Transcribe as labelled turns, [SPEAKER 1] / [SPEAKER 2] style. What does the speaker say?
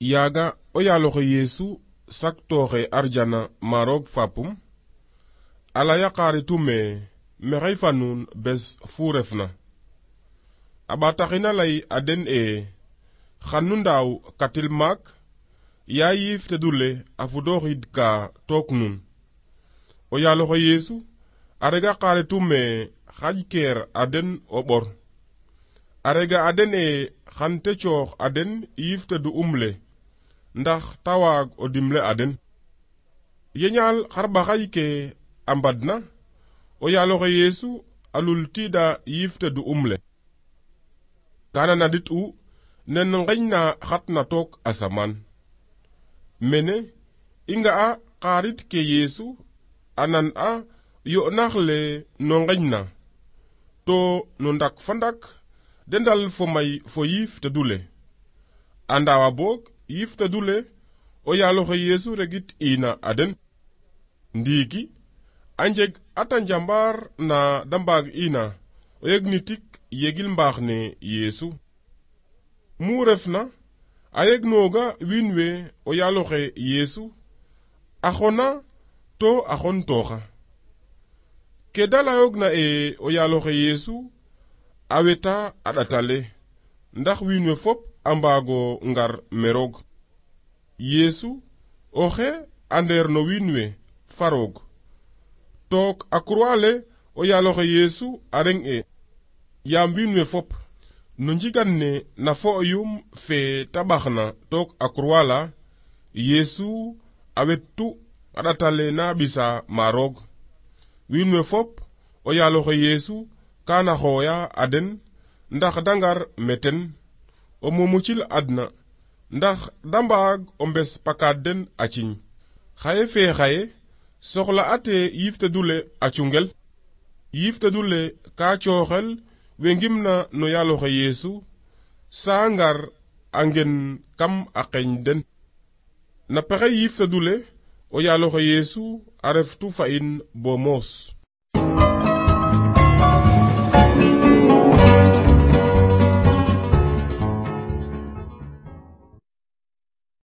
[SPEAKER 1] Yaga o yaaloxe Yesu saktooxe arjana maroog fapum ala yaqaaritu mexey fa nuun bes fu refna a ɓaataxina lay a den xan nu ndaaw katil maak ya yiif tedule a fudooxid ka took nun o yaaloxe Yesu a rega qaaritu xaƴ keer a den o ɓor a rega a den xan te coox a den yiif tedu le ndax ta waag o dimle a den yeñaal xarɓaxay ke a mbadna o yaaloxe Yesu a lultiida yiif tedu le kana nadit u nen ŋeñna xatna took asamaan mene i nga'a xaarit ke Yesu a nan a yo'nax le no ŋeñna to no ndak fa ndak de ndal fo may fo yiif tedule a ndaawa boog yiif tedule o yaaloxe Yesu regit ina a den ndiiki a njeg ata njambaar na da mbaag ina o yeg ni tik yegil mbaax ne Yesu mu refna a yeg nooga wiin we o yaaloxe Yesu a xona to a xon tooxa ke da layoogna o yaaloxe Yesu a weta a ɗatale ndax wiin we fop a mbaago ngar meroog Yesu oxe a ndeer no wiin we faroog took a croix le o yaaloxe Yesu a reng yaam wiin we fop no njigan ne na fo'yum fe taɓaxna took a croix la Yesu a wettu a ɗatale na ɓisa maroog wiin we fop o yaaloxe Yesu kana xooya a den ndax da ngar meten o mumucil adna ndax da mbaag o mbes pakaad den a ciñ xaye fe xaye soxla ate yiif tedule a cungel yiif tedule ka cooxel we ngimna no yaaloxe Yesu saa ngar a ngen kam a qeñ den na pexe yiif tedule o yaaloxe Yesu a reftu fa in bo moos